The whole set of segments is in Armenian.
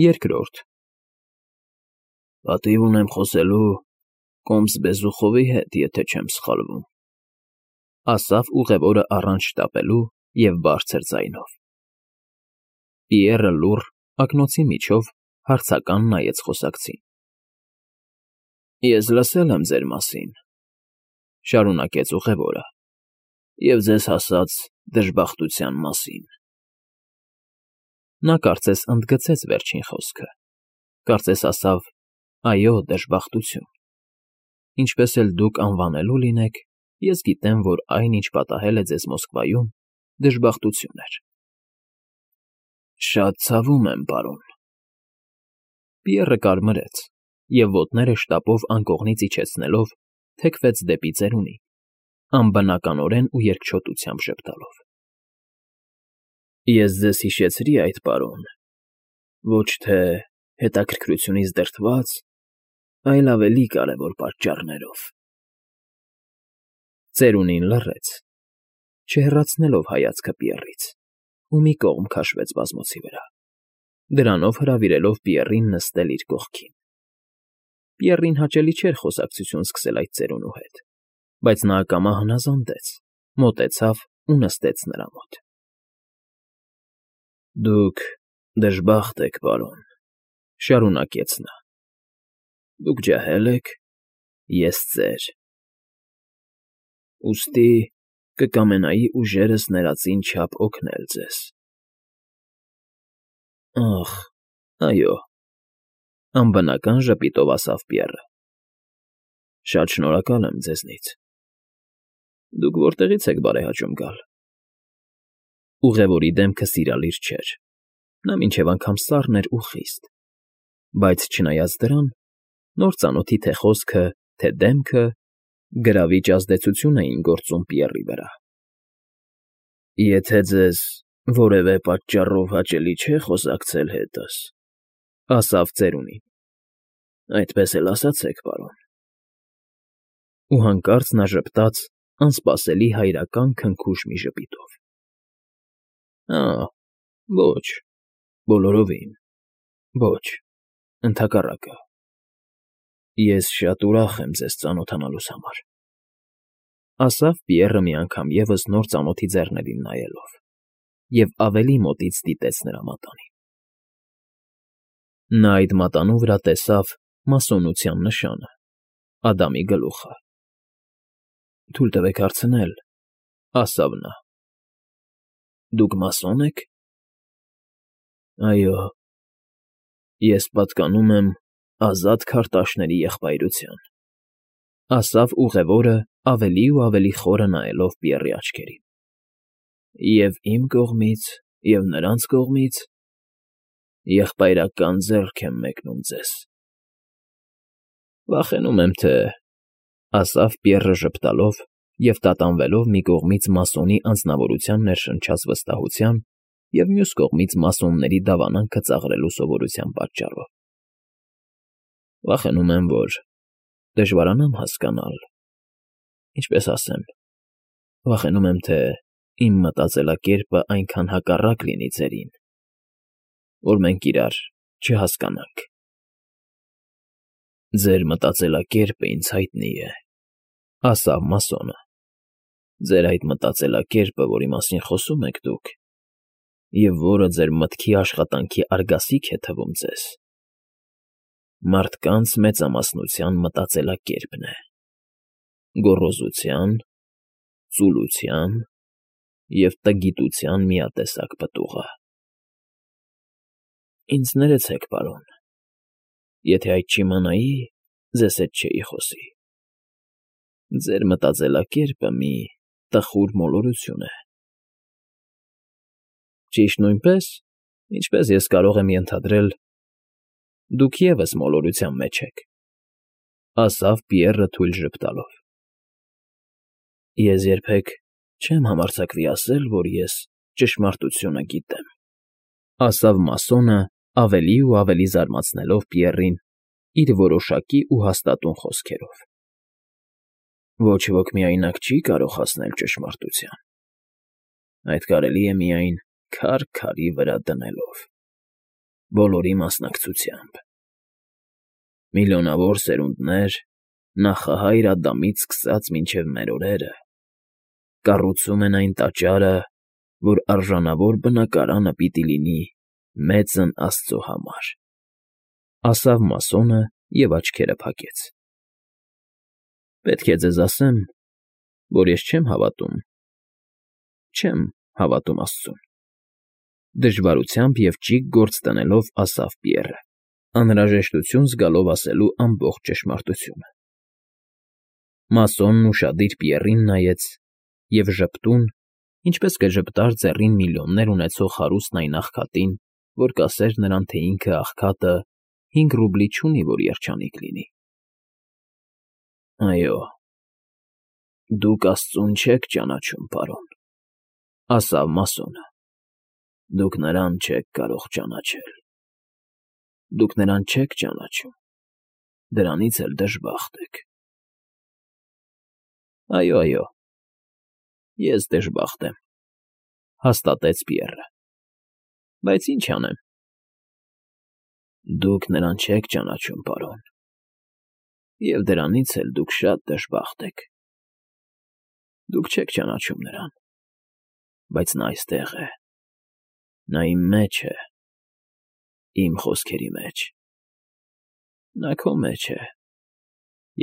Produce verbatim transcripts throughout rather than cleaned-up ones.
Երկրորդ Պատիվ ունեմ խոսելու Կոմս Բեզուխովի հետ, եթե չեմ սխալվում,֊ ասավ ուղևորը առանց շտապելու և բարձր ձայնով։ Պիեռը լուռ, ակնոցի միջով հարցական նայեց խոսակցին։ Ես լսել եմ ձեր մասին,֊ շարունակեց ուղևորը,֊ և ձեզ հասած դժբախտության մասին… Նա կարծես ընդգծեց վերջին խոսքը, կարծես ասավ. «Այո, դժբախտություն… Ինչպես էլ դուք անվանելու լինեք, ես գիտեմ, որ այն, ինչ պատահել է ձեզ Մոսկվայում, դժբախտություն էր»։ Շատ ցավում եմ, պարոն… Պիեռը կարմրեց և, ոտները շտապով անկողնից իջեցնելով, թեքվեց դեպի ծերունին, անբնականորեն ու երկչոտությամբ ժպտալով։ Ես ձեզ հիշեցրի այդ, պարոն, ոչ թե հետաքրքրությունից դրդված, այլ ավելի կարևոր պատճառներով… Ծերունին լռեց, չհեռացնելով հայացքը Պիեռից, ու մի կողմ քաշվեց բազմոցի վրա, դրանով հրավիրելով Պիեռին նստել իր կողքին։ Պիեռին հաճելի չէր խոսակցություն սկսել այդ ծերունու հետ, բայց նա ակամա հնազանդեց, մոտեցավ ու նստեց նրա մոտ։ Դուք դժբախտ եք, պարոն,֊ շարունակեց նա, դուք ջահել եք, ես՝ ծեր… Ուստի կկամենայի ուժերս ներածին չափ օգնել ձեզ… Ախ, այո,֊ անբնական ժպիտով ասավ Պիեռը,֊ շատ շնորհակալ եմ ձեզնից… Դուք որտեղի՞ց եք բարեհաճում գալ… Ուղևորի դեմքը սիրալիր չէր, նա մինչև անգամ սառն էր ու խիստ, բայց, չնայած դրան, նոր ծանոթի թե խոսքը, թե դեմքը գրավիչ ազդեցություն էին գործում Պիեռի վրա։ Եթե ձեզ որևէ պատճառով հաճելի չէ խոսակցել հետս,֊ ասավ ծերունին,֊ այդպես էլ ասացեք, պարոն… Ու հանկարծ նա ժպտաց անսպասելի հայրական քնքուշ մի ժպիտով։ Ա՛, ոչ, բոլորովին, ոչ, ընդհակառակը… Ես շատ ուրախ եմ ձեզ ծանոթանալուս համար,֊ ասավ Պիեռը մի անգամ ևս նոր ծանոթի ձեռներին նայելով և ավելի մոտից դիտեց նրա մատանին։ Նա այդ մատանու վրա տեսավ մասոնության նշանը՝ Ադամի գլուխը։ Թույլ տվեք հարցնել,֊ ասավ նա,֊ Դուք մասո՞ն եք։ Այո, ես պատկանում եմ Ազատ քարտաշների եղբայրության,֊ ասավ ուղևորը ավելի ու ավելի խորը նայելով Պիեռի աչքերին,֊ և իմ կողմից, և նրանց կողմից եղբայրական ձեռք եմ մեկնում ձեզ… Վախենում եմ, թե,֊ ասավ Պիեռը ժպտալով և տատանվելով մի կողմից մասոնի անձնավորության ներշնչած վստահության և մյուս կողմից մասոնների դավանանքը ծաղրելու սովորության պատճառով,֊ Վախենում եմ, որ դժվարանամ հասկանալ… Ինչպես ասեմ, վախենում եմ, թե իմ մտածելակերպը այնքան հակառակ լինի ձերին, որ մենք իրար չհասկանանք… Ձեր մտածելակերպը ինձ հայտնի է,֊ ասավ մասոնը,֊ ձեր այդ մտածելակերպը, որի մասին խոսում եք դուք, և որը ձեր մտքի աշխատանքի արգասիք է թվում ձեզ, մարդկանց մեծամասնության մտածելակերպն է, գոռոզության, ծուլության և տգիտության միատեսակ պտուղը… Ինձ ներեցեք, պարոն, եթե այդ չիմանայի, ձեզ հետ չէի խոսի… Ձեր մտածելակերպը մի տխուր մոլորություն է… Ճիշտ նույնպես, ինչպես ես կարող եմ ենթադրել, դուք ևս մոլորության մեջ եք,֊ ասավ Պիեռը թույլ ժպտալով։ Ես երբեք չեմ համարձակվի ասել, որ ես ճշմարտությունը գիտեմ,֊ ասավ մասոնը ավելի ու ավելի զարմացնելով Պիեռին իր որոշակի ու հաստատուն խոսքերով։ Ոչ ոք միայնակ չի կարող հասնել ճշմարտության… Այդ կարելի է միայն քար քարի վրա դնելով… բոլորի մասնակցությամբ։ Միլիոնավոր սերունդներ, նախահայր Ադամից սկսած մինչև մեր օրերը, կառուցում են այն տաճարը, որ արժանավոր բնակարանը պիտի լինի մեծն Աստծո համար,֊ ասավ մասոնը և աչքերը փակեց։ Պետք է ձեզ ասեմ, որ ես չեմ հավատում, չեմ հավատում Աստծուն,֊ դժվարությամբ և ճիգ գործ դնելով ասավ Պիեռը, անհրաժեշտություն զգալով ասելու ամբողջ ճշմարտությունը։ Մասոնն ուշադիր Պիեռին նայեց և ժպտուն, ինչպես կժպտար ձեռին միլիոններ ունեցող հարուստ այն աղքատին, որ կասեր նրան, թե ինքը, աղքատը, հինգ ռուբլի չունի, որ երջանիկ լինի։ ֊ Այո, դուք Աստծուն չեք ճանաչում, պարոն,֊ ասավ մասոնը,֊ դուք նրան չեք կարող ճանաչել։ Դուք նրան չեք ճանաչում, դրանից էլ դժբախտ եք։ ֊ Այո, այո, ես դժբախտ եմ,֊ հաստատեց Պիեռը,֊ բայց ինչ անեմ։ ֊ Դուք նրան չեք ճանաչում, պարոն, և դրանից էլ դուք շատ դժբախտ եք։ Դուք չեք ճանաչում նրան, բայց նա այստեղ է, նա իմ մեջ է, իմ խոսքերի մեջ, նա քո մեջ է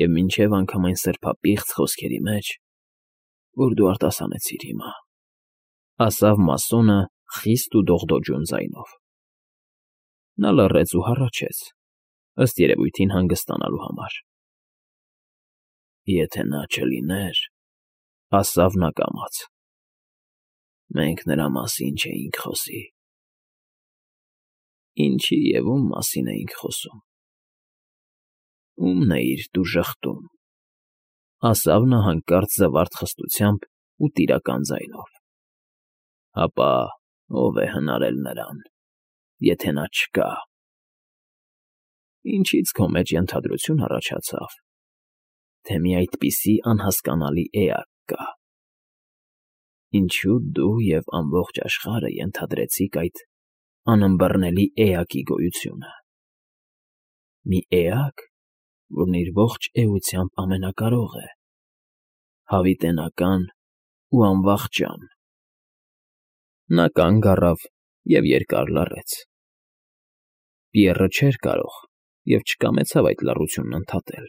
և մինչև անգամ այն սրբապիղծ խոսքերի մեջ, որ դու արտասանեցիր հիմա,֊ ասավ մասոնը խիստ ու դողդոջուն ձայնով։ Նա լռեց ու հառաչեց, ըստ երևույթին հանգստանալու համար։ Եթե նա չլիներ,֊ ասավ նա կամաց,֊ մենք նրա մասին չէինք խոսի։ Ինչի և ում մասին էինք խոսում։ Ո՞ւմն էիր դու ժխտում,֊ ասավ նա հանկարծ զվարթ խստությամբ ու տիրական ձայնով։ Հապա ո՞վ է հնարել նրան, եթե նա չկա։ Ինչի՞ց քո մեջ ենթադրություն առաջացավ, թե մի այդպիսի անհասկանալի էակ կա։ Ինչու դու և ամբողջ աշխարհը ենթադրեցիք այդ անըմբռնելի էակի գոյությունը։ Մի էակ, որն իր ողջ էությամբ ամենակարող է, հավիտենական ու անվախճան։ Նա կանգ առավ և երկար լռեց։ Պիեռը չէր կարող և չկամեցավ այդ լռությունն ընդհատել։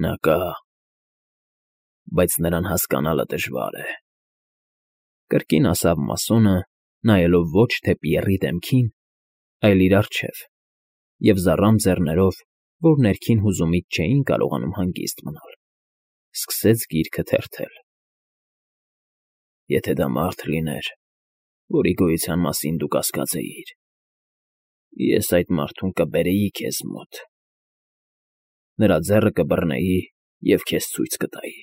Նա կա, բայց նրան հասկանալը դժվար է,֊ կրկին ասավ մասոնը, նայելով ոչ թե Պիեռի դեմքին, այլ իր առջև, և զառամ ձեռներով, որ ներքին հուզումից չէին կարողանում հանգիստ մնալ, սկսեց գիրքը թերթել։ Եթե դա մարդ լիներ, որի գոյության մասին դու կասկածեիր, ես այդ մարդուն կբերեի քեզ մոտ, նրա ձեռը կբռնեի և քեզ ցույց կտայի։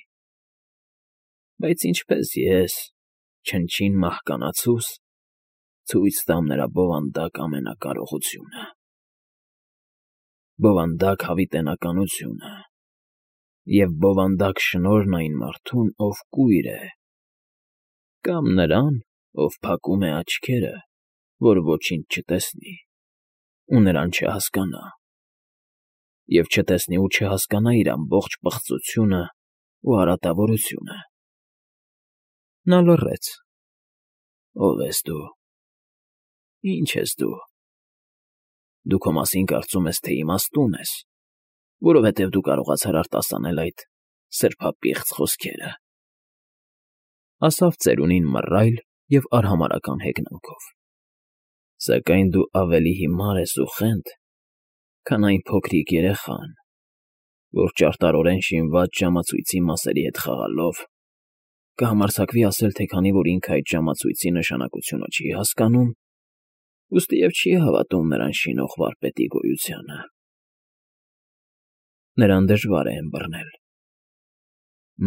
Բայց ինչպես ես, չնչին մահկանացուս, ցույց տամ նրա բովանդակ ամենակարողությունը, բովանդակ հավիտենականությունը և բովանդակ շնորհն այն մարդուն, ով կույր է, կամ նրան, ով փակում է աչքերը, որ ոչինչ չտեսնի ու նրան չհասկանա, և չտեսնի ու չհասկանա իր ամբողջ պղծությունն ու արատավորությունը։ Նա լռեց։ Ո՞վ ես դու, ի՞նչ ես դու։ Դու քո մասին կարծում ես, թե իմաստուն ես, որովհետև դու կարողացար արտասանել այդ սրբապիղծ խոսքերը,֊ ասավ ծերունին մռայլ և արհամարհական հեգնանքով,֊ սակայն դու ավելի հիմար ես ու խենթ, քան այն փոքրիկ երեխան, որ ճարտարորեն շինված ժամացույցի մասերի հետ խաղալով կհամարձակվի ասել, թե քանի որ ինքը այդ ժամացույցի նշանակությունը չի հասկանում, ուստիև չի հավատում նրան շինող վարպետի գոյությանը։ Նրան դժվար է ըմբռնել։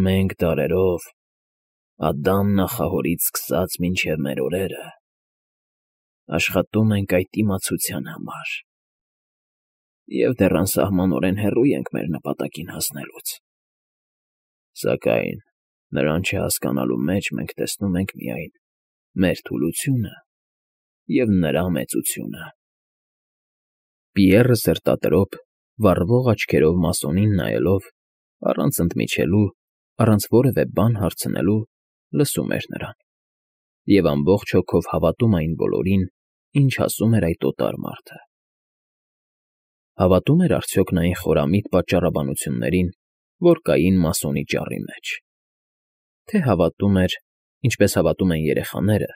Մենք դարերով, Ադամ նախահորից սկսած մինչև մեր օրերը, աշխատում ենք այդ իմացության համար և դեռ անսահմանորեն հեռու ենք մեր նպատակին հասնելուց։ Սակայն նրան չհասկանալու մեջ մենք տեսնում ենք միայն մեր թուլությունը և նրա մեծությունը։ Պիեռը սրտատրոփ, վառվող աչքերով մասոնին նայելով, առանց ընդմիջելու, առանց որևէ բան հարցնելու, լսում էր նրան և ամբողջ հոգով հավատում այն բոլորին, ինչ ասում էր այդ օտար մարդը։ Հավատո՞ւմ էր արդյոք նա այն խորամիտ պատճառաբանություններին, որ կային մասոնի ճառի մեջ, թե հավատում էր, ինչպես հավատում են երեխաները,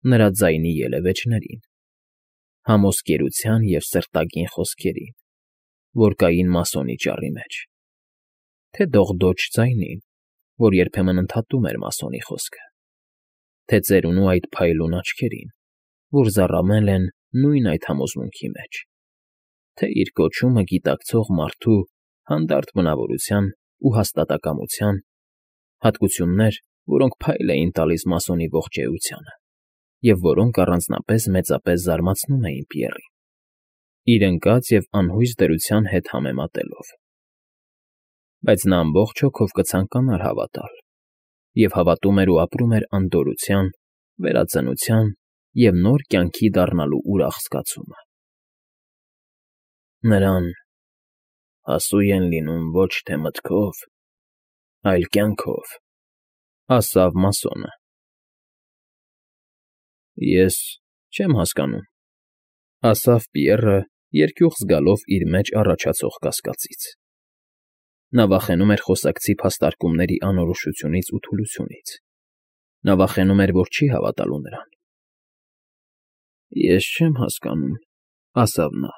նրա ձայնի ելևէջներին, համոսկերության և սրտագին խոսքերին, որ կային մասոնի ճառի մեջ, թե դողդոջ ձայնին, որ երբեմն ընդհատում էր մասոնի խոսքը, թե ծերունու այդ փայլուն աչքերին, որ զառամել են նույն այդ համոզմունքի մեջ, թե իր կոչումը գիտակցող մարդու հանդարտ բնավորության ու հաստատակամության, հատկություններ, որոնք փայլ էին տալիս մասոնի ողջ էությանը և որոնք առանձնապես մեծապես զարմացնում էին Պիեռին, իր ընկած և անհույս դրության հետ համեմատելով։ Բայց նա ամբողջ հոգով կցանկանար հավատալ և հավատում էր ու ապրում էր անդորրության, վերածնության և նոր կյանքի դառնալու ուրախ զգացումը։ Նրան հասու են լինում ոչ թե մտքով, այլ կյանքով, ասավ մասոնը։ Ես չեմ հասկանում, ասավ Պիեռը, երկյուղ զգալով իր մեջ առաջացող կասկածից. նա վախենում էր խոսակցի փաստարկումների անորոշությունից ու թուլությունից, նա վախենում էր, որ չի հավատալու նրան։ Ես չեմ հասկանում, ասավ նա,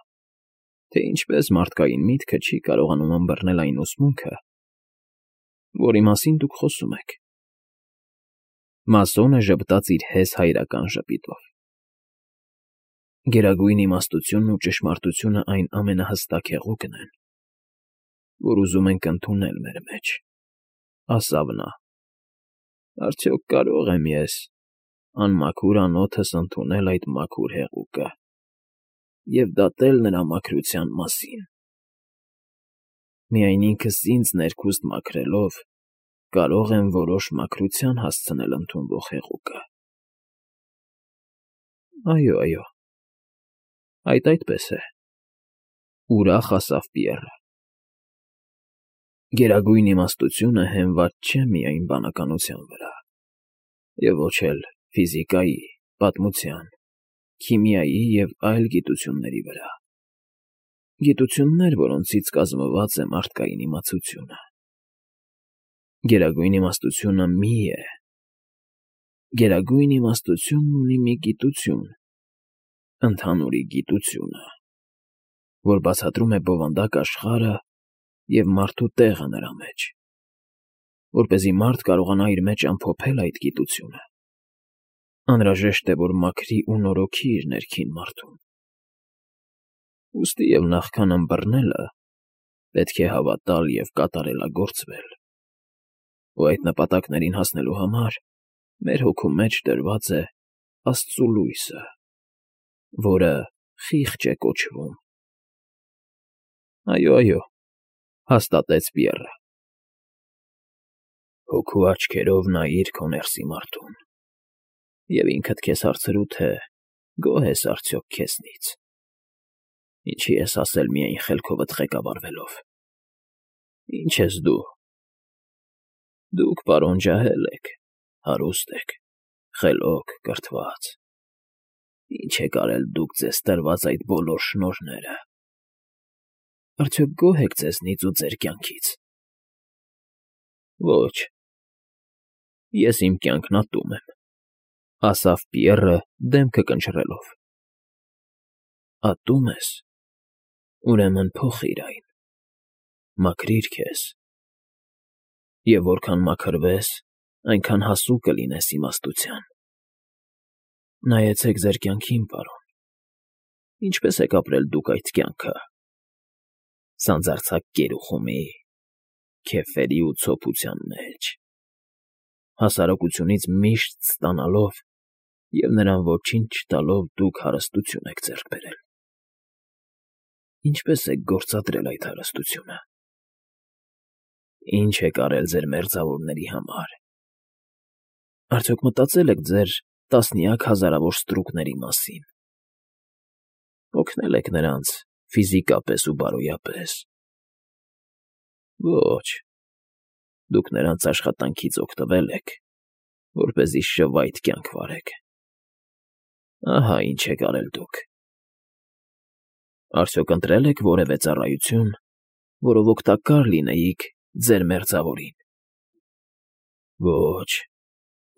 թե ինչպես մարդկային միտքը չի կարողանում ըմբռնել այն ուսմունքը, որի մասին դուք խոսում եք։ Մասոնը ժպտաց իր հեզ հայրական ժպիտով։ Գերագույն իմաստությունն ու ճշմարտությունը այն ամենահստակ հեղուկն են, որ ուզում ենք ընդունել մեր մեջ, ասավ նա։ Արդյոք կարո՞ղ եմ ես, անմաքուր անոթս ընդունել այդ մաքուր հեղուկը և դատել նրա մաքրության մասին։ Միայն ինքս ինձ ներքուստ մաքրելով կարող եմ որոշ մաքրության հասցնել ընդունվող հեղուկը։ Այո, այո, այդ այդպես է, ուրախ ասավ Պիեռը։ Գերագույն իմաստությունը հենված չէ միայն բանականության վրա, և ոչ էլ ֆիզիկայի, պատմության, քիմիայի և այլ գիտությունների վրա, գիտություններ, որոնցից կազմված է մարդկային իմացությունը։ Գերագույն իմաստությունը մի է, գերագույն իմաստությունն ունի մի գիտություն, ընդհանուրի գիտությունը, որ բացատրում է բովանդակ աշխարհը և մարդու տեղը նրա մեջ, որպեսզի մարդ կարողանա իր մեջ ամփոփել այդ գիտությունը, անհրաժեշտ է, որ մաքրի ու նորոգի իր ներքին մարդուն։ Ուստի և նախքան ըմբռնելը պետք է հավատալ և կատարելագործվել, ու այդ նպատակներին հասնելու համար մեր հոգու մեջ դրված է Աստծու լույսը, որը խիղճ է կոչվում։ Այո, այո, հաստատեց Պիեռը։ Հոգու աչքերով նայիր քո ներսի մարդուն և ինքդ քեզ հարցրու, թե գոհ ես արդյոք քեզնից, ինչի ես ասել միայն խելքովդ ղեկավարվելով։ Ի՞նչ ես դու։ Դուք, պարոն, ջահել եք, հարուստ եք, խելոք, կրթված, ի՞նչ եք արել դուք ձեզ տրված այդ բոլոր շնորհները։ Արդյոք գոհ եք ձեզնից ու ձեր կյանքից։ Ոչ, ես իմ կյանքն ատում եմ, ասավ Պիեռը դեմքը կնճռելով։ Ատում ես, ուրեմն փոխիր այն, մաքրիր քեզ, և որքան մաքրվես, այնքան հասու կլինես իմաստության։ Նայեցեք ձեր կյանքին, պարոն, ինչպե՞ս եք ապրել դուք այդ կյանքը։ Սանձարձակ կերուխումի, քեֆերի ու ցոփության մեջ, հասարակությունից միշտ ստանալով և նրան ոչինչ չտալով դուք հարստություն եք ձեռք բերել։ Ինչպե՞ս եք գործադրել այդ հարստությունը։ Ի՞նչ եք արել ձեր մերձավորների համար։ Արդյոք մտածել եք ձեր տասնյակ հազարավոր ստրուկների մասին։ Օգնել եք նրանց ֆիզիկապես ու բարոյապես։ Ոչ, դուք նրանց աշխատանքից օգտվել եք, որպեսզի շվայտ կյանք վարեք։ Ահա ինչ եք արել դուք։ Արդյոք ընտրել եք որևէ ծառայություն, որով օգտակար լինեիք ձեր մերձավորին։ Ոչ,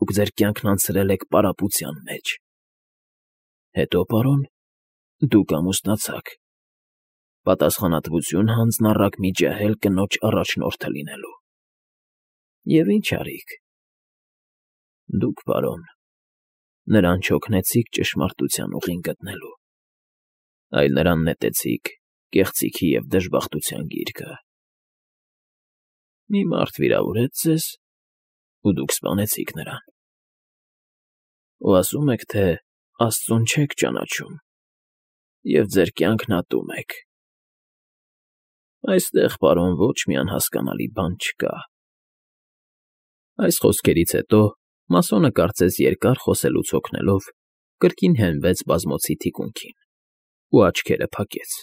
դուք ձեր կյանքն անցրել եք պարապության մեջ։ Հետո, պարոն, դուք ամուսնացաք, պատասխանատվություն հանձնառաք մի ջահել կնոջ առաջնորդը լինելու։ Եվ ինչ արիք։ Դուք, պարոն, նրան չօգնեցիք ճշմարտության ուղին գտնելու, այլ նրան նետեցիք կեղծիքի և դժբախտության գիրկը։ Մի մարդ վիրավորեց ձեզ, ու դուք սպանեցիք նրան։ Ու ասում եք, թե Աստծուն չեք ճանաչում, և ձեր կյանքն ատում եք։ Այստեղ, պարոն, ոչ մի անհասկանալի բան չկա։ Այս խոսքերից հետո մասոնը կարծես երկար խոսելուց հոգնելով կրկին հենվեց բազմոցի թիկունքին ու աչքերը փակեց։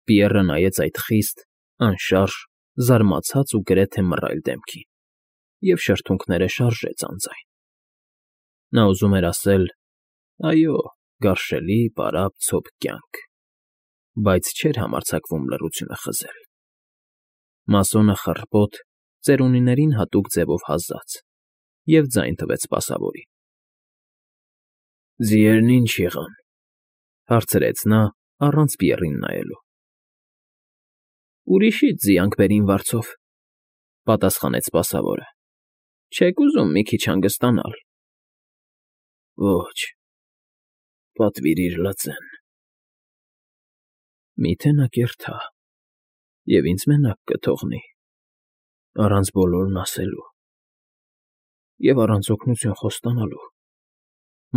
Պիեռը նայեց այդ խիստ, անշարժ, զարմացած ու գրեթե մռայլ դեմքին և շրթունքները շարժեց անձայն։ Նա ուզում էր ասել. «Այո, գարշելի, պարապ, ցոփ կյանք», բայց չէր համարձակվում լռությունը խզել։ Մասոնը խռպոտ, ծերունիներին հատուկ ձևով հազաց և ձայն տվեց սպասավորին։ «Ձիերն ի՞նչ եղան,֊ հարցրեց նա, առանց Պիեռին նայելու։ Ուրիշից ձիանք բերին վարձով,֊ պատասխանեց սպասավորը։ Չեք ուզում մի քիչ հանգստանալ։ Ոչ, պատվիրիր լծեն։ Մի՞թե նա կերթա և ինձ մենակ կթողնի, առանց բոլորն ասելու և առանց օգնություն խոստանալու,֊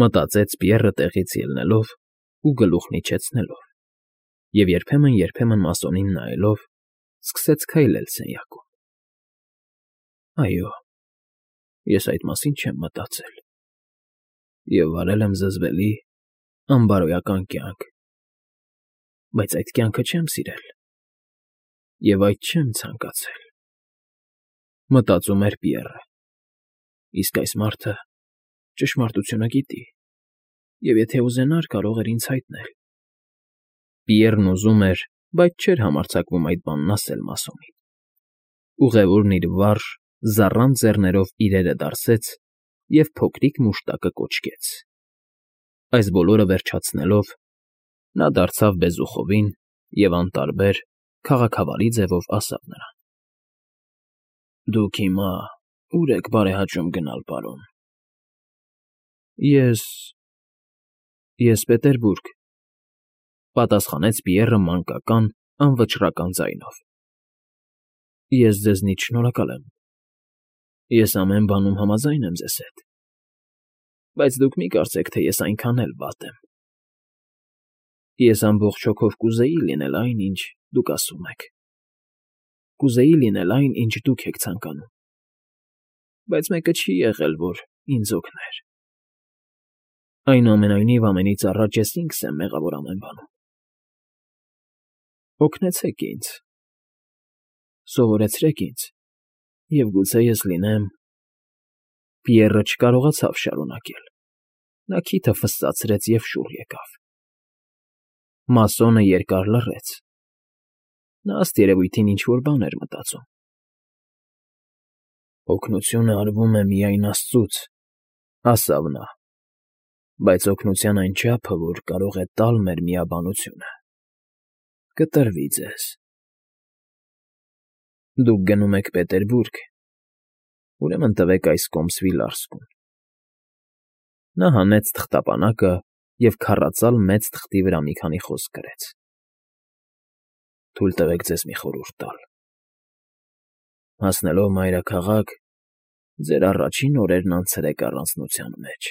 մտածեց Պիեռը տեղից ելնելով ու գլուխն իջեցնելով և երբեմն֊երբեմն մասոնին նայելով սկսեց քայլել սենյակում։ Այո, ես այդ մասին չեմ մտածել և վարել եմ զզվելի, անբարոյական կյանք, բայց այդ կյանքը չեմ սիրել և այդ չեմ ցանկացել,֊ մտածում էր Պիեռը։ Իսկ այս մարդը ճշմարտությունը գիտի և եթե ուզենար, կարող էր ինձ հայտնել։ Պիեռն ուզում էր, բայց չէր համարձակվում այդ բանն ասել մասոնին։ Ուղևորն իր վարժ, զառանտ ձեռներով իրերը դարսեց և փոքրիկ մուշտակը կոչկեց։ Այս բոլորը վերջացնելով՝ նա դարձավ բեզուխովին և անտարբեր, քաղաքավարի ձևով ասավ նրան. Դուք հիմա ո՞ւր եք բարեհաճում գնալ, պարոն։ Ես… ես Պետերբուրգ,֊ պատասխանեց Պիեռը մանկական, անվճռական ձայնով։ Ես ձեզնից շնորհակալ եմ։ Ես ամեն բանում համաձայն եմ ձեզ հետ, բայց դուք մի կարծեք, թե ես այնքան էլ վատ եմ։ Ես ամբողջ հոգով կուզեի լինել այն, ինչ դուք ասում եք, կուզեի լինել այն, ինչ դուք եք ցանկանում, բայց մեկը չի եղել, որ ինձ օգներ։ Այնուամենայնիվ, ամենից առաջ ես ինքս եմ մեղավոր ամեն բանում։ Օգնեցեք ինձ, սովորեցրեք ինձ, և գուցե ես լինեմ… Պիեռը չկարողացավ շարունակել։ Նա քիթը ֆսսացրեց և շուռ եկավ։ Մասոնը երկար լռեց։ Նա, ըստ երևույթին, ինչ֊որ բան էր մտածում։ Օգնությունը արվում է միայն աստծուց,֊ ասավ նա,֊ բայց օգնության այն չափը, որ կարող է տալ մեր միաբանությունը, կտրվի ձեզ։ Դուք գնում եք Պետերբուրգ, ուրեմն տվեք այս Կոմսվիլ֊Արսկուն։ Նա հանեց թղթապանակը և քառածալ մեծ թղթի վրա մի քանի խոսք գրեց։ Թույլ տվեք ձեզ մի խորհուրդ տալ. հասնելով մայրաքաղաք, ձեր առաջին օրերն անցրեք առանձնության մեջ։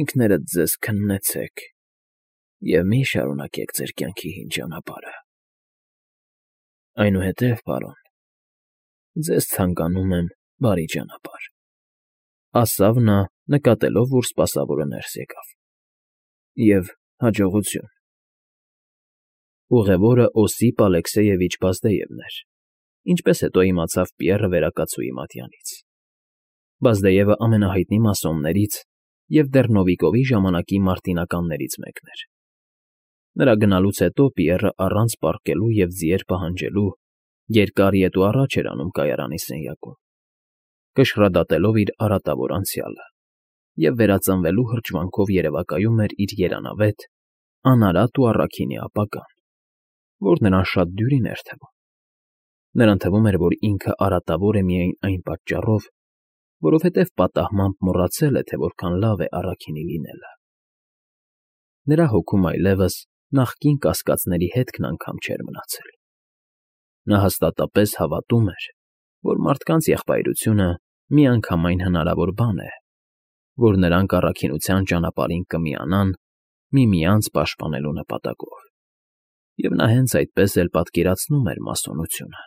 Ինքներդ ձեզ քննեցեք և մի շարունակեք ձեր կյանքի հին ճանապարհը։ Այնուհետև, պարոն, ձեզ ցանկանում եմ բարի ճանապարհ։ Ասավ նա, նկատելով, որ սպասավորը ներս եկավ։ ֊ Եվ հաջողություն… Ուղևորը Օսիպ Ալեքսեյևիչ Բազդեևն էր, ինչպես հետո իմացավ Պիեռը վերակացուի մատյանից։ Բազդեևը ամենահայտնի մասոններից և դեռ Նովիկովի ժամանակի մարտինականներից մեկն էր։ Նրա գնալուց հետո Պիեռը առանց պառկելու և ձիեր պահանջելու երկար ետ ու առաջ էր անում կայարանի սենյակում, կշռադատելով իր արատավոր անցյալը, և վերածնվելու հրճվանքով երևակայում էր իր երանավետ, անարատ ու առաքինի ապագան, որ նրան շատ դյուրին էր թվում։ Նրան թվում էր, որ ինքը արատավոր է միայն այն պատճառով, որովհետև պատահմամբ մոռացել է, թե որքան լավ է առաքինի լինելը։ Նրա հոգում այլևս նախկին կասկածների հետքն անգամ չէր մնացել։ Նա հաստատապես հավատում էր, որ մարդկանց եղբայրությունը միանգամայն հնարավոր բան է, որ նրանք առաքինության ճանապարհին կմիանան միմյանց պաշտպանելու նպատակով, և նա հենց այդպես էլ պատկերացնում էր մասոնությունը։